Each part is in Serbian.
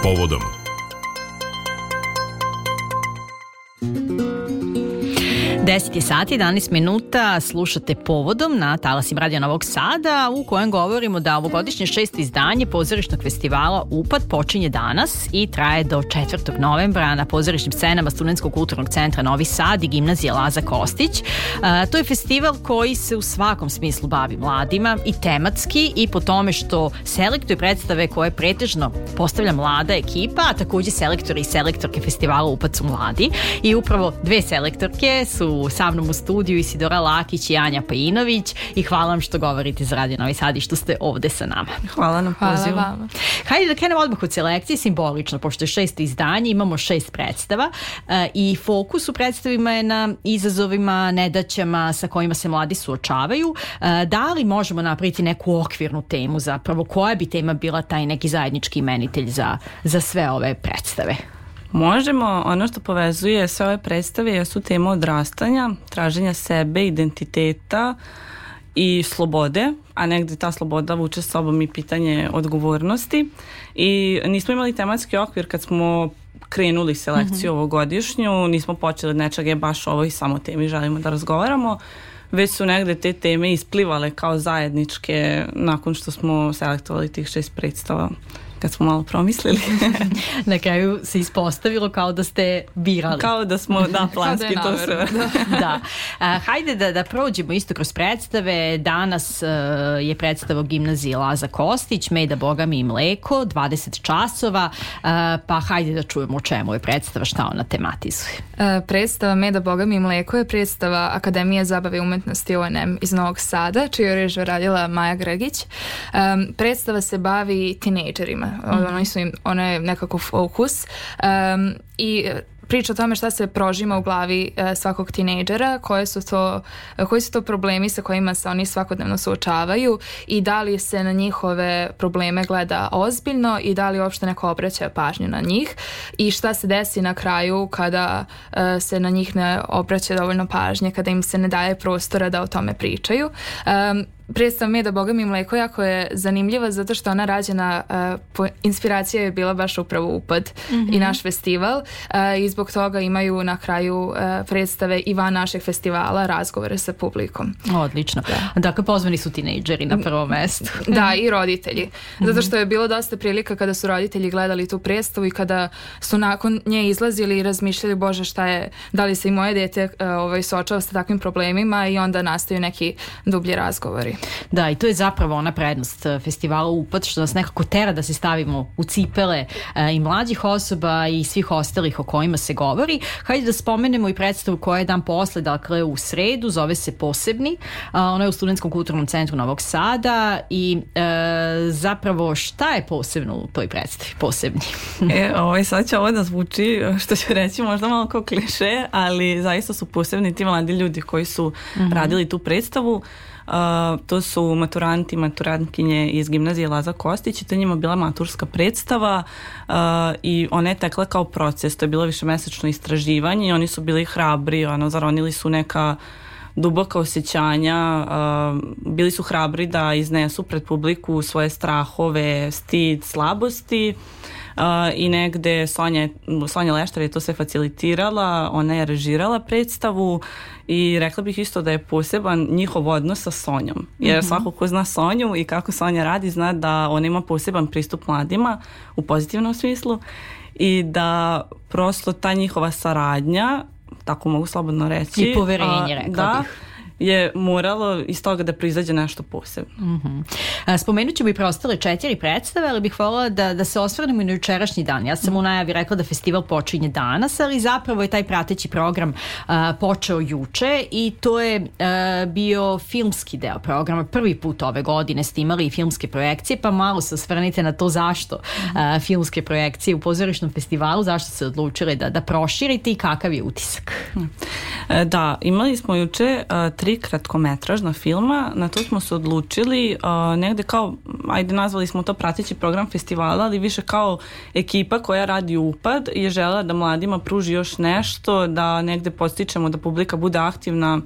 Povodom. Deset je sati, 11 minuta, slušate Povodom na talasima Radio Novog Sada, u kojem govorimo da ovogodišnje 6. izdanje pozorišnog festivala UPAD počinje danas i traje do 4. novembra na pozorišnim scenama Studentskog kulturnog centra Novi Sad i gimnazije Laza Kostić. To je festival koji se u svakom smislu bavi mladima i tematski i po tome što selektuje predstave koje pretežno postavlja mlada ekipa, a takođe selektori i selektorke festivala UPAD su mladi i upravo dve selektorke su sa mnom u studiju, Isidora Lakić i Anja Pajinović, i hvala vam što govorite za Radio Novi Sad i što ste ovde sa nama. Hvala na pozivu. Hvala vama. Hajde da krenemo odmah od selekcije, simbolično, pošto je 6. izdanje, imamo 6 predstava i fokus u predstavima je na izazovima, nedaćama sa kojima se mladi suočavaju. Da li možemo napraviti neku okvirnu temu zapravo? Koja bi tema bila taj neki zajednički imenitelj za sve ove predstave? Možemo. Ono što povezuje sve ove predstave jesu tema odrastanja, traženja sebe, identiteta i slobode, a negde ta sloboda vuče s sobom i pitanje odgovornosti. I nismo imali tematski okvir kad smo krenuli selekciju ovogodišnju, nismo počeli od nečega baš ovo i samo temi želimo da razgovaramo, već su negde te teme isplivale kao zajedničke nakon što smo selektovali tih 6 predstava. Kad smo malo promislili. Na kraju se ispostavilo kao da ste birali. Kao da smo, da, planski to sve. Da. Hajde da prođemo isto kroz predstave. Danas je predstava u gimnaziji Laza Kostić, Meda, Boga mi i mleko, 20 časova, pa hajde da čujemo o čemu je predstava, šta ona tematizuje. Predstava Meda, Boga mi i mleko je predstava Akademije zabave i umetnosti ONM iz Novog Sada, čiju je režiju radila Maja Grgić. Predstava se bavi tinejdžerima. Ono je nekako fokus i priča o tome šta se prožima u glavi svakog tinejdžera, koji su to problemi sa kojima se oni svakodnevno suočavaju i da li se na njihove probleme gleda ozbiljno i da li uopšte neko obraća pažnju na njih i šta se desi na kraju kada se na njih ne obraća dovoljno pažnje, kada im se ne daje prostora da o tome pričaju. Predstava Meda, Boga mi i mleko jako je zanimljiva zato što ona rađena, inspiracija je bila baš upravo UPAD i naš festival i zbog toga imaju na kraju predstave i van našeg festivala razgovore sa publikom. Odlično. Dakle, pozvani su tinejdžeri na prvo mesto. Da, i roditelji. Zato što je bilo dosta prilika kada su roditelji gledali tu predstavu i kada su nakon nje izlazili i razmišljali, bože, šta je, da li se i moje dete suočava sa takvim problemima, i onda nastaju neki dublji razgovori. Da, i to je zapravo ona prednost festivala UPAD, što nas nekako tera da se stavimo u cipele i mlađih osoba i svih ostalih o kojima se govori. Hajde da spomenemo i predstavu koja je dan posle, dakle u sredu, zove se Posebni. Ona je u Studentskom kulturnom centru Novog Sada i zapravo šta je posebno u toj predstavi? Posebni. Sad će ovo da zvuči, što ću reći, možda malo kao kliše, ali zaista su posebni ti mladi ljudi koji su radili tu predstavu. To su maturanti i maturantkinje iz gimnazije Laza Kostić i to je njima bila maturska predstava i ona je tekla kao proces, to je bilo višemesečno istraživanje i oni su bili hrabri, zaronili su neka duboka osjećanja, bili su hrabri da iznesu pred publiku svoje strahove, stid, slabosti. I negde Sonja Leštar je to sve facilitirala, ona je režirala predstavu i rekla bih isto da je poseban njihov odnos sa Sonjom, jer svako ko zna Sonju i kako Sonja radi zna da ona ima poseban pristup mladima u pozitivnom smislu i da prosto ta njihova saradnja, tako mogu slobodno reći, i poverenje, rekla bih, je moralo iz toga da proizađe nešto posebno. Spomenut ćemo i preostale 4 predstave, ali bih voljela da se osvrnemo i na jučerašnji dan. Ja sam u najavi rekla da festival počinje danas, ali zapravo je taj prateći program počeo juče i to je bio filmski deo programa. Prvi put ove godine ste imali i filmske projekcije, pa malo se osvrnite na to zašto filmske projekcije u pozorišnom festivalu, zašto se odlučili da proširite i kakav je utisak? Da, imali smo juče 3 kratkometražna filma, na to smo se odlučili negde kao, nazvali smo to prateći program festivala, ali više kao ekipa koja radi UPAD je želela da mladima pruži još nešto, da negde podstičemo da publika bude aktivna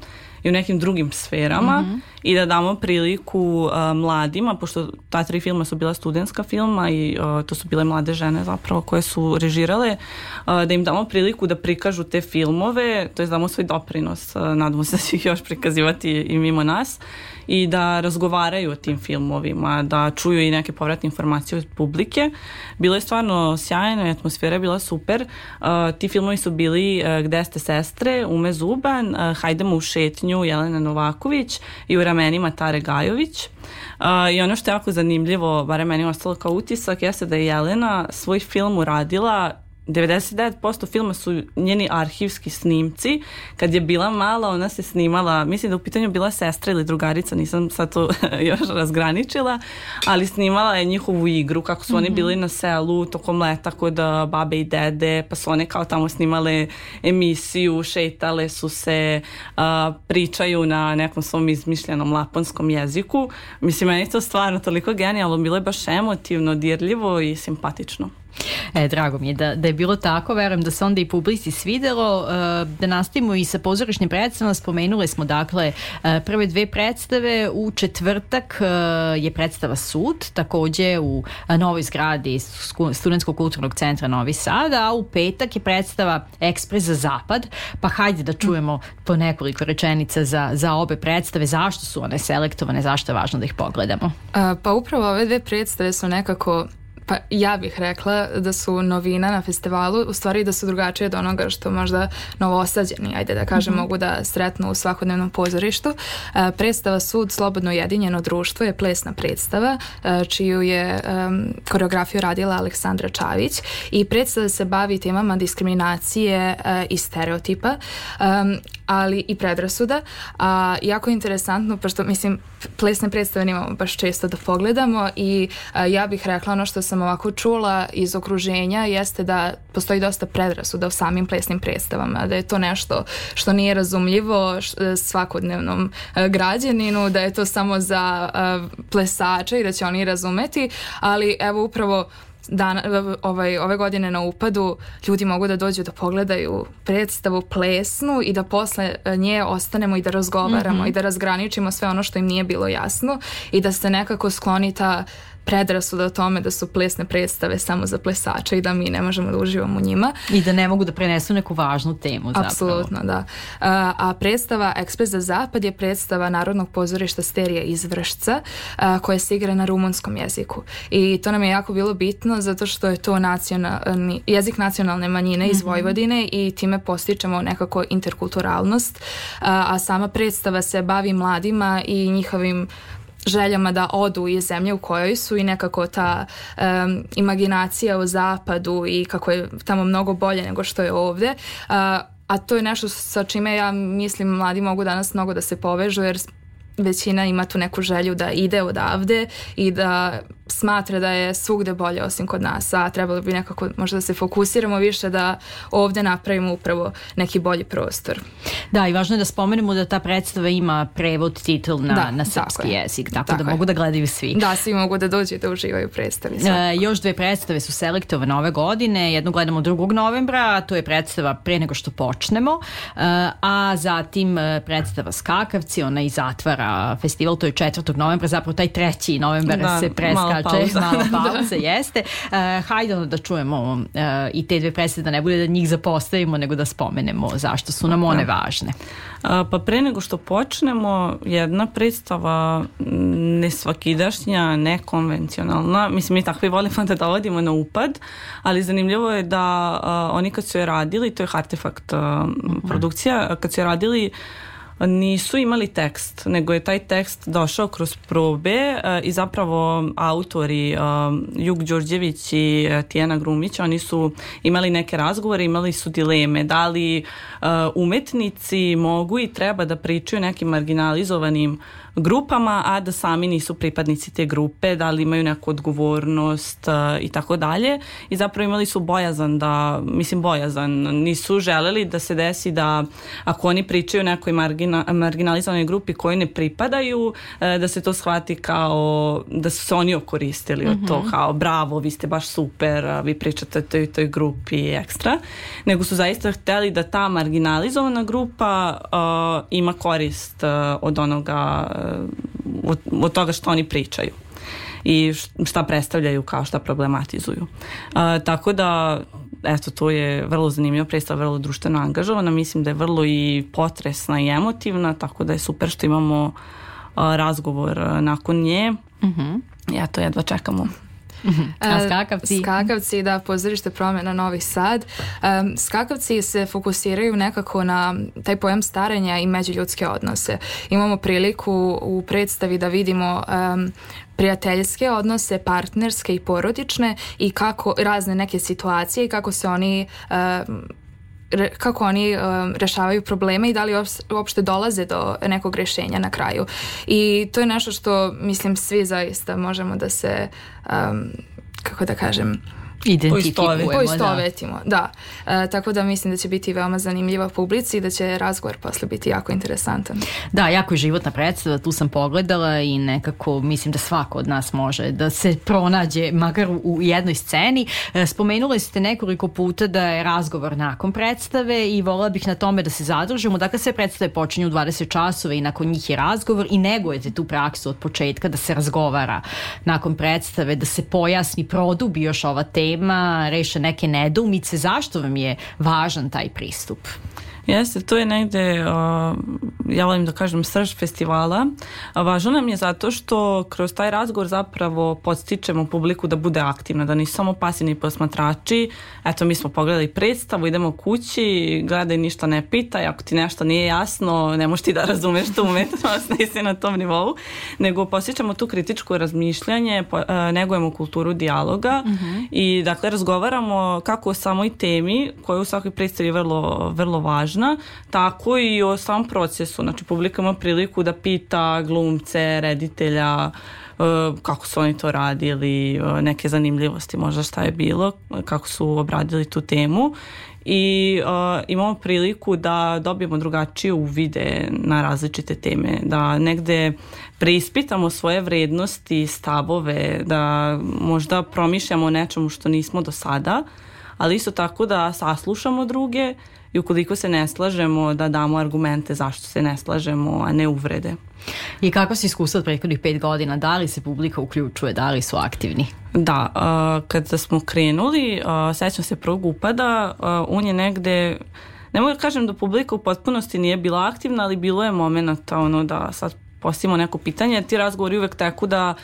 i u nekim drugim sferama i da damo priliku mladima, pošto ta 3 filma su bila studentska filma i to su bile mlade žene zapravo koje su režirale, da im damo priliku da prikažu te filmove, to je damo svoj doprinos, nadamo se da će ih još prikazivati i mimo nas, i da razgovaraju o tim filmovima, da čuju i neke povratne informacije od publike. Bilo je stvarno sjajno, atmosfera je bila super. Ti filmovi su bili Gde ste sestre, Ume Zuban, Hajdemo u šetnju, Jelena Novaković i U ramenima Tare Gajović. I ono što je jako zanimljivo, barem meni ostalo kao utisak, jeste da je Jelena svoj film uradila 99% filma su njeni arhivski snimci. Kad je bila mala, ona se snimala, mislim da u pitanju bila sestra ili drugarica, nisam sad to još razgraničila, ali snimala je njihovu igru, kako su oni bili na selu tokom leta kod babe i dede, pa su one kao tamo snimale emisiju, šetale su se, pričaju na nekom svom izmišljenom laponskom jeziku. Mislim, meni je to stvarno toliko genijalno, bilo je baš emotivno, dirljivo i simpatično. Drago mi je da je bilo tako, verujem da se onda i publici svidelo. Da nastavimo i sa pozorišnim predstavama, spomenuli smo dakle prve 2 predstave. U četvrtak je predstava Sud, takođe u novoj zgradi Studentskog kulturnog centra Novi Sad, a u petak je predstava Ekspres za zapad, pa hajde da čujemo po nekoliko rečenica za obe predstave, zašto su one selektovane, zašto je važno da ih pogledamo. Pa upravo ove 2 predstave su nekako, pa ja bih rekla da su novina na festivalu, u stvari da su drugačije od onoga što možda novosađeni, ajde da kažem, mogu da sretnu u svakodnevnom pozorištu. Predstava Sud, Slobodno ujedinjeno društvo je plesna predstava, čiju je koreografiju radila Aleksandra Čavić, i predstava se bavi temama diskriminacije i stereotipa, ali i predrasuda. Jako je interesantno, pošto mislim plesne predstave nemamo baš često da pogledamo, i ja bih rekla ono što sam ovako čula iz okruženja jeste da postoji dosta predrasuda u samim plesnim predstavama, da je to nešto što nije razumljivo svakodnevnom građaninu, da je to samo za plesače i da će oni razumeti, ali evo upravo ove godine na Upadu ljudi mogu da dođu da pogledaju predstavu plesnu i da posle nje ostanemo i da razgovaramo i da razgraničimo sve ono što im nije bilo jasno i da se nekako skloni ta predrasuda o tome da su plesne predstave samo za plesače i da mi ne možemo da uživamo u njima. I da ne mogu da prenesu neku važnu temu zapravo. Apsolutno, da. A predstava Ekspres za zapad je predstava Narodnog pozorišta Sterija iz Vršca, koja se igra na rumunskom jeziku. I to nam je jako bilo bitno zato što je to jezik nacionalne manjine iz Vojvodine i time postičemo nekako interkulturalnost. A sama predstava se bavi mladima i njihovim željama da odu iz zemlje u kojoj su i nekako ta imaginacija o zapadu i kako je tamo mnogo bolje nego što je ovdje. A to je nešto sa čime ja mislim mladi mogu danas mnogo da se povežu, jer većina ima tu neku želju da ide odavde i da smatra da je svugde bolje osim kod nas, a trebalo bi nekako možda da se fokusiramo više da ovdje napravimo upravo neki bolji prostor. Da, i važno je da spomenemo da ta predstava ima prevod titl na srpski jezik, tako da mogu da gledaju svi. Da, svi mogu da dođu i da uživaju u predstavi. Još 2 predstave su selektovane ove godine, jednu gledamo 2. novembra, to je predstava Pre nego što počnemo, a zatim predstava Skakavci, ona i zatvara festival, to je 4. novembra, zapravo taj 3. novembar se preskače. Malo pauze, jeste. Hajde da čujemo i te 2 predstave, da ne bude da njih zapostavimo, nego da spomenemo zašto su nam one važne. Pa pre nego što počnemo, jedna predstava nesvakidašnja, nekonvencionalna. Mislim, mi takvi volimo da dovodimo na upad, ali zanimljivo je da oni kad su je radili, to je Artefakt produkcija, kad su je radili nisu imali tekst, nego je taj tekst došao kroz probe i zapravo autori Jug Đorđević i Tijana Grumić, oni su imali neke razgovore, imali su dileme da li umetnici mogu i treba da pričaju nekim marginalizovanim grupama, a da sami nisu pripadnici te grupe, da li imaju neku odgovornost i tako dalje. I zapravo imali su bojazan, nisu želeli da se desi da ako oni pričaju o nekoj marginalizovanoj grupi koji ne pripadaju, da se to shvati kao da su se oni okoristili od to, kao bravo, vi ste baš super, vi pričate o toj grupi ekstra, nego su zaista hteli da ta marginalizovana grupa ima korist od onoga, od toga što oni pričaju i šta predstavljaju, kao šta problematizuju. Tako da, eto, to je vrlo zanimljiva predstava, vrlo društveno angažovana, mislim da je vrlo i potresna i emotivna, tako da je super što imamo razgovor nakon nje. Ja to jedva čekamo. A skakavci? Skakavci, da, pozorište Promena Novi Sad. Skakavci se fokusiraju nekako na taj pojam starenja i međuljudske odnose. Imamo priliku u predstavi da vidimo prijateljske odnose, partnerske i porodične i kako razne neke situacije i kako se oni rešavaju probleme i da li uopšte dolaze do nekog rješenja na kraju. I to je nešto što, mislim, svi zaista možemo da se, kako da kažem, poistovetimo. Da. Tako da mislim da će biti veoma zanimljiva publici i da će razgovor posle biti jako interesantan. Da, jako je životna predstava, tu sam pogledala i nekako mislim da svako od nas može da se pronađe makar u jednoj sceni. Spomenuli ste nekoliko puta da je razgovor nakon predstave i volila bih na tome da se zadržimo. Dakle, sve predstave počinju u 20 časova i nakon njih je razgovor i negujete tu praksu od početka da se razgovara nakon predstave, da se pojasni, produbi još ova tema, reše neke nedoumice. Zašto vam je važan taj pristup? Jeste, to je negde, ja volim da kažem, srž festivala. Važno nam je zato što kroz taj razgovor zapravo podstičemo publiku da bude aktivna, da nisu samo pasivni posmatrači. Eto, mi smo pogledali predstavu, idemo kući, gledaj, ništa ne pitaj, ako ti nešto nije jasno, ne možeš ti da razumeš tu umetnost, nisi na tom nivou, nego podstičemo tu kritičko razmišljanje, negujemo kulturu dijaloga i dakle razgovaramo kako o samoj temi, koja u svakoj predstavi je vrlo važna, tako i o samom procesu. Znači, publika ima priliku da pita glumce, reditelja, kako su oni to radili, neke zanimljivosti, možda šta je bilo, kako su obradili tu temu. I imamo priliku da dobijemo drugačije uvide na različite teme, da negde preispitamo svoje vrednosti, stavove, da možda promišljamo o nečemu što nismo do sada, ali isto tako da saslušamo druge i ukoliko se ne slažemo da damo argumente zašto se ne slažemo, a ne uvrede. I kako se iskustva od prethodnih 5 godina? Da li se publika uključuje? Da li su aktivni? Da, kada smo krenuli, sećam se prvog upada, on je negde, ne mogu da kažem da publika u potpunosti nije bila aktivna, ali bilo je momenata da sad postavimo neko pitanje. Ti razgovori uvek teku da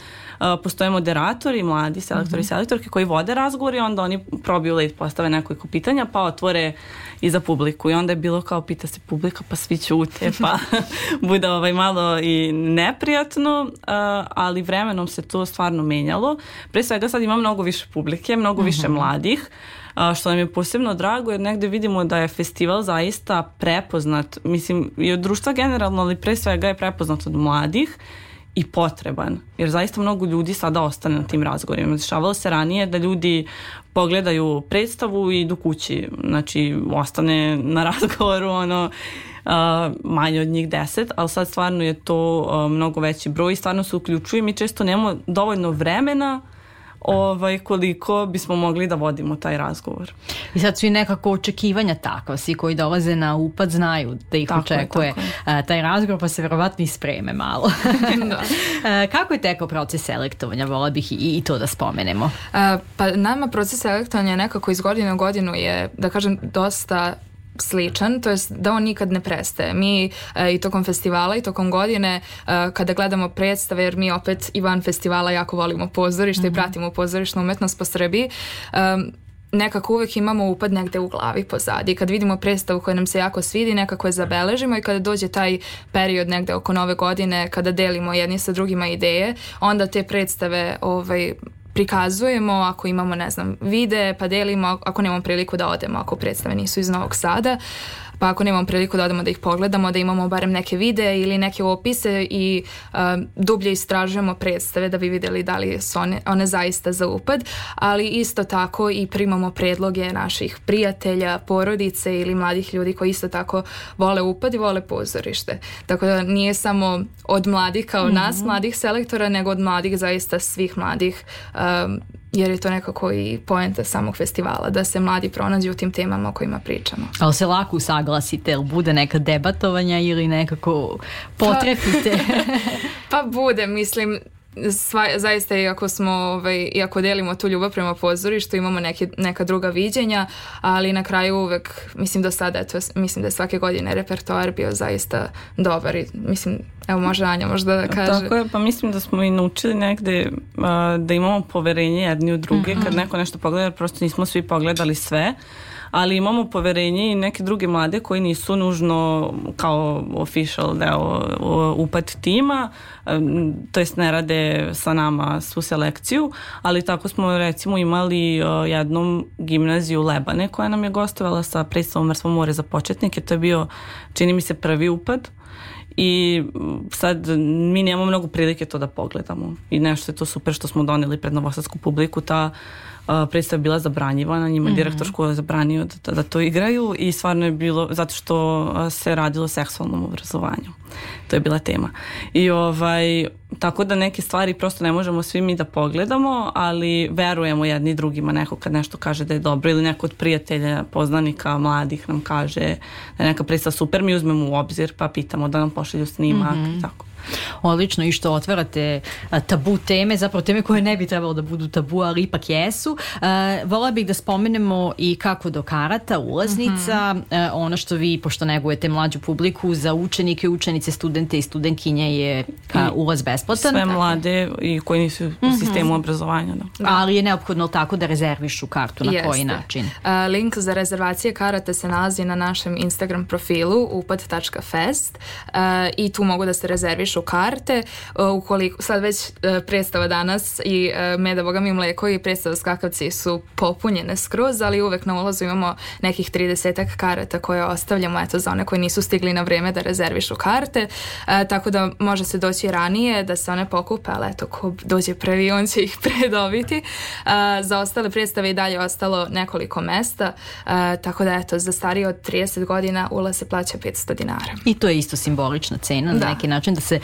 postoje moderatori, mladi selektori i selektorke koji vode razgovor i onda oni probiju led, postave nekoliko pitanja pa otvore i za publiku i onda je bilo kao pita se publika pa svi ćute pa bude malo i neprijatno, ali vremenom se to stvarno menjalo. Pre svega sad ima mnogo više publike, mnogo više mladih, što nam je posebno drago jer negde vidimo da je festival zaista prepoznat, mislim i od društva generalno, ali pre svega je prepoznat od mladih i potreban, jer zaista mnogo ljudi sada ostane na tim razgovorima. Dešavalo se ranije da ljudi pogledaju predstavu i idu kući, znači ostane na razgovoru manje od njih 10, ali sad stvarno je to mnogo veći broj i stvarno se uključuju. Mi često nemamo dovoljno vremena koliko bismo mogli da vodimo taj razgovor. I sad su i nekako očekivanja takva, svi koji dolaze na upad znaju da ih očekuje taj razgovor, pa se verovatno i spreme malo. Kako je tekao proces selektovanja? Vola bih i to da spomenemo. Pa nama proces selektovanja nekako iz godine u godinu je, da kažem, dosta sličan, to jest da on nikad ne prestaje. Mi i tokom festivala i tokom godine kada gledamo predstave, jer mi opet i van festivala jako volimo pozorište i pratimo pozorišnu umetnost po Srbiji, nekako uvek imamo upad negde u glavi pozadi. Kad vidimo predstavu koja nam se jako svidi, nekako je zabeležimo i kada dođe taj period negde oko Nove godine, kada delimo jedni sa drugima ideje, onda te predstave prikazujemo, ako imamo, ne znam, vide, pa delimo, ako nemamo priliku da odemo, ako predstave nisu iz Novog Sada. pa ako nemamo priliku da odemo da ih pogledamo, da imamo barem neke videe ili neke opise i dublje istražujemo predstave da bi vidjeli da li su one zaista za upad, ali isto tako i primamo predloge naših prijatelja, porodice ili mladih ljudi koji isto tako vole upad i vole pozorište. Tako da nije samo od mladih kao nas, mladih selektora, nego od mladih, zaista svih mladih, jer je to nekako i poenta samog festivala, da se mladi pronađu u tim temama o kojima pričamo. Ali se lako usaglasite, ili bude neka debatovanja ili nekako potrefite? Pa bude, mislim, zaista iako delimo tu ljubav prema pozorištu, imamo neka druga viđenja, ali na kraju uvek, mislim do sada, mislim da je svake godine repertoar bio zaista dobar i mislim, evo može Anja možda da kaže. Tako je, pa mislim da smo i naučili negde da imamo poverenje jedni u druge, kad neko nešto pogleda, prosto nismo svi pogledali sve, ali imamo poverenje i neke druge mlade koji nisu nužno kao official deo upad tima, to jest ne rade sa nama svu selekciju, ali tako smo recimo imali jednom gimnaziju Lebane koja nam je gostovala sa predstavom Mrtvo more za početnike, to je bio, čini mi se, prvi upad. I sad mi nemamo mnogo prilike to da pogledamo i nešto je to super što smo doneli pred novosadsku publiku. Ta predstava je bila zabranjivana, njima direktor škole zabranio da to igraju i stvarno je bilo zato što se radilo o seksualnom obrazovanju. To je bila tema. I tako da neke stvari prosto ne možemo svi mi da pogledamo, ali verujemo jedni drugima. Neko kad nešto kaže da je dobro ili neko od prijatelja, poznanika, mladih nam kaže da je neka predstava super, mi uzmemo u obzir pa pitamo da nam pošalju snimak i tako. Odlično, i što otvarate tabu teme, zapravo teme koje ne bi trebalo da budu tabu, ali ipak jesu. Vola bih da spomenemo i kako do karata, ulaznica, ono što vi, pošto negujete mlađu publiku, za učenike, učenice, studente i studentkinje je ulaz besplatan. Sve mlade i koji nisu u sistemu obrazovanja. Da. Ali je neophodno tako da rezervišu kartu, na koji način? Link za rezervacije karata se nalazi na našem Instagram profilu upad.fest i tu mogu da se rezervišu karte. Ukoliko sad već predstava danas i Meda, Boga mi, mleko i predstava Skakavci su popunjene skroz, ali uvek na ulazu imamo nekih 30 karata koje ostavljamo za one koji nisu stigli na vreme da rezervišu karte, tako da može se doći ranije da se one pokupe, ali ko dođe prvi on će ih predobiti. Za ostale predstave i dalje ostalo nekoliko mesta, tako da za starije od 30 godina ulaz se plaća 500 dinara. I to je isto simbolična cena na neki način da se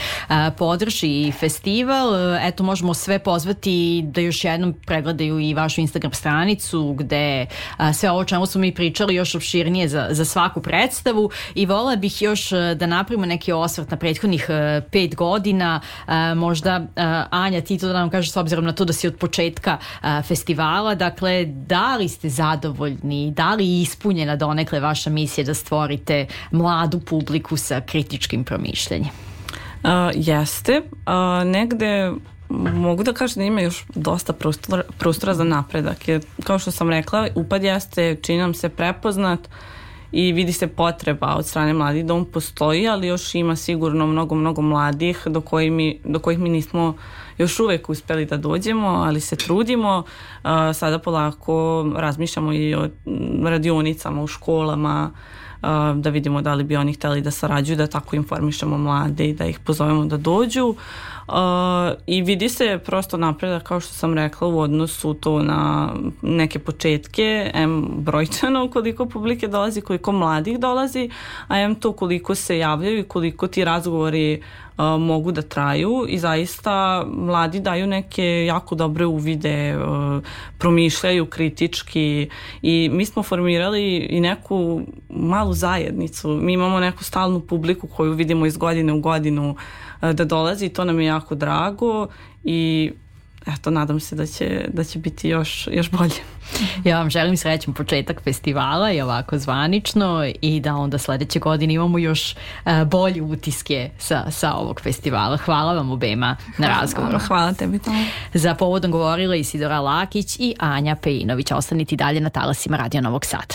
podrži festival. Eto, možemo sve pozvati da još jednom pregledaju i vašu Instagram stranicu gde sve ovo čemu smo mi pričali još opširnije za svaku predstavu i vola bih još da napravimo neki osvrt na prethodnih 5 godina. Možda Anja, ti to da nam kažeš s obzirom na to da si od početka festivala, dakle, da li ste zadovoljni, da li je ispunjena donekle vaša misija da stvorite mladu publiku sa kritičkim promišljanjem? Jeste. Negde mogu da kažem da ima još dosta prostora za napredak. Jer, kao što sam rekla, upad jeste, čini nam se, prepoznat i vidi se potreba od strane mladih da on postoji, ali još ima sigurno mnogo mladih do kojih mi nismo još uvek uspeli da dođemo, ali se trudimo. Sada polako razmišljamo i o radionicama u školama, da vidimo da li bi oni hteli da sarađuju, da tako informišemo mlade i da ih pozovemo da dođu. I vidi se prosto napredak, kao što sam rekla, u odnosu to na neke početke, brojčano koliko publike dolazi, koliko mladih dolazi, a to koliko se javljaju i koliko ti razgovori mogu da traju i zaista mladi daju neke jako dobre uvide, promišljaju kritički i mi smo formirali i neku malu zajednicu. Mi imamo neku stalnu publiku koju vidimo iz godine u godinu da dolazi i to nam je jako drago i eto, nadam se da će biti još bolje. Ja vam želim srećan početak festivala i ovako zvanično i da onda sledeće godine imamo još bolje utiske sa ovog festivala. Hvala vam obema na razgovoru. Hvala tebi. Za povodom govorila Isidora Lakić i Anja Pejinović. Ostanite dalje na talasima Radio Novog Sada.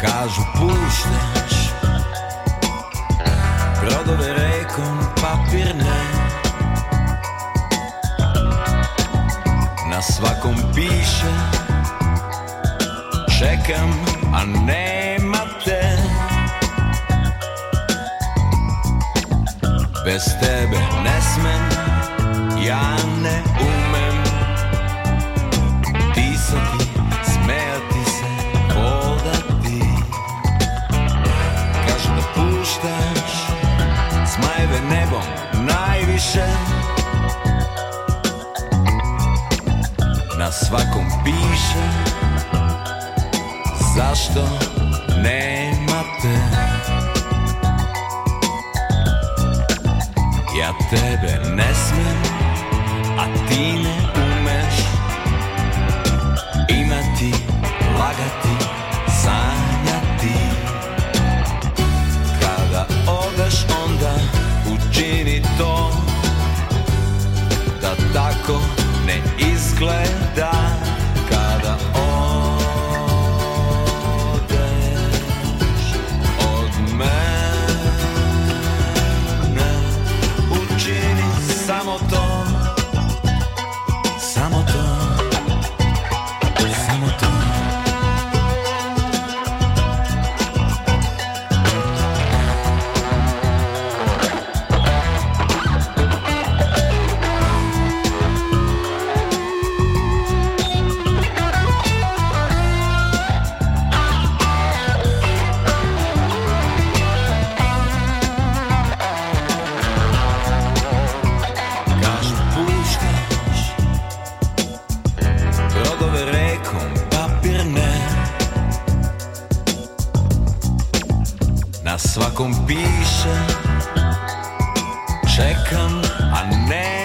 Kažu puštaš brodove rekom, papir ne. čekam, a nema te. Bez tebe ne smem, ja ne umem disati, smejati se, hodati. Kažu da puštaš zmajeve nebom najviše. Na svakom piše zašto nema te. Ja tebe ne smem, a ti ne umeš imati, lagati, sanjati. Kada odeš onda učini to da tako ne izgleda. Kada odeš od mene, učini samo to, samo to, samo to. Na svakom piše čekam, a ne